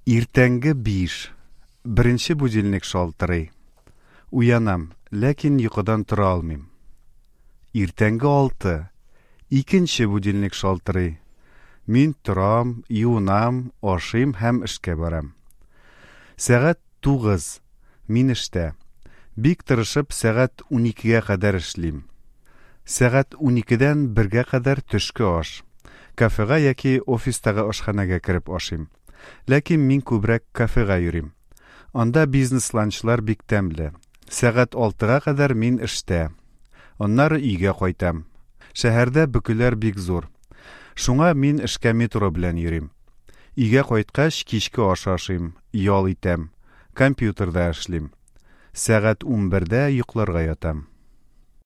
Иртәнге 5. Беренче будильник шалтырый. Уянам, ләкин йокыдан тора алмыйм. Иртәнге 6. Икенче будильник шалтырый. Мин торам, юынам, ашыйм һәм эшкә барам. Сәгать 9. Мин эштә. Бик тырышып сәгать 12-гә кадәр эшлим. Сәгать 12-дән 1-гә кадәр төшке аш. Кафега яки офистагы ашханәгә кереп ашыйм. Ләкин мин күбрәк кафега йөрим. Анда бизнес-ланчлар бик тәмле. Сәгать 6-га кадәр мин эштә. Аннары өйгә кайтам. Шәһәрдә бөкеләр бик зур. Шуңа мин эшкә метро белән йөрим. Өйгә кайткач, кичке аш ашыйм, ял итәм, компьютерда эшлим. Сәгать 11-дә йокларга ятам.